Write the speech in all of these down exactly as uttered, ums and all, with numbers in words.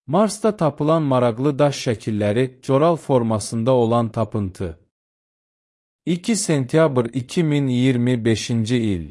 Marsda tapılan maraqlı daş şəkilləri coral formasında olan tapıntı. iki sentyabr iki min iyirmi beşinci il.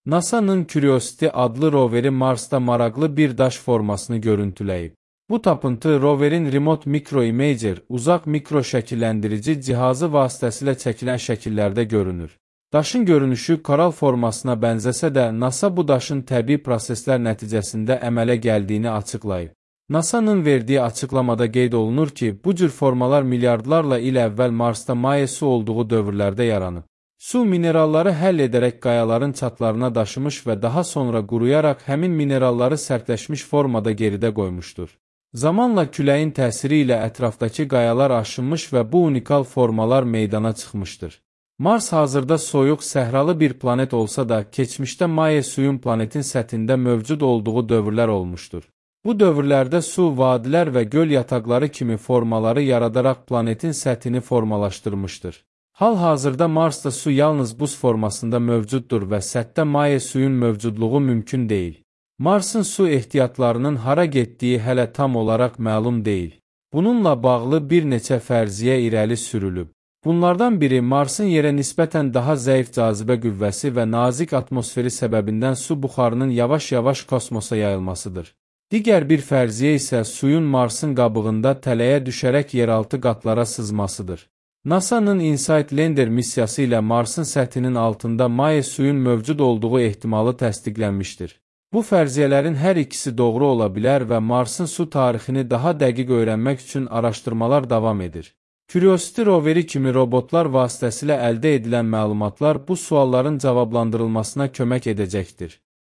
NASA'nın Curiosity adlı roveri Marsda maraqlı bir daş formasını görüntüləyib. Bu tapıntı roverin Remote Micro Imager uzaq mikro şəkilləndirici cihazı vasitəsilə çəkilən şəkillərdə görünür. Daşın görünüşü koral formasına bənzəsə də NASA bu daşın təbii proseslər nəticəsində əmələ gəldiyini açıqlayıb. NASA'nın verdiyi açıqlamada qeyd olunur ki, bu cür formalar milyardlarla il əvvəl Marsda maye su olduğu dövrlərdə yaranıb. Su mineralları həll edərək qayaların çatlarına daşımış və daha sonra quruyaraq həmin mineralları sərtləşmiş formada geridə qoymuşdur. Zamanla küləyin təsiri ilə ətrafdakı qayalar aşınmış və bu unikal formalar meydana çıxmışdır. Mars hazırda soyuq, səhralı bir planet olsa da, keçmişdə maye suyun planetin səthində mövcud olduğu dövrlər olmuşdur. Bu dövrlərdə su, vadilər və göl yataqları kimi formaları yaradaraq planetin səthini formalaşdırmışdır. Hal-hazırda Marsda su yalnız buz formasında mövcuddur və səthdə maye suyun mövcudluğu mümkün deyil. Marsın su ehtiyatlarının hara getdiyi hələ tam olaraq məlum deyil. Bununla bağlı bir neçə fərziyyə irəli sürülüb. Bunlardan biri Marsın yerə nisbətən daha zəif cazibə qüvvəsi və nazik atmosferi səbəbindən su buxarının yavaş-yavaş kosmosa yayılmasıdır. Digər bir fərziyyə isə suyun Marsın qabığında tələyə düşərək yeraltı qatlara sızmasıdır. NASA'nın InSight Lander missiyası ilə Marsın səthinin altında maye suyun mövcud olduğu ehtimalı təsdiqlənmişdir. Bu fərziyyələrin hər ikisi doğru ola bilər və Marsın su tarixini daha dəqiq öyrənmək üçün araşdırmalar davam edir. Curiosity roveri kimi robotlar vasitəsilə əldə edilən məlumatlar bu sualların cavablandırılmasına kömək edəcəkdir.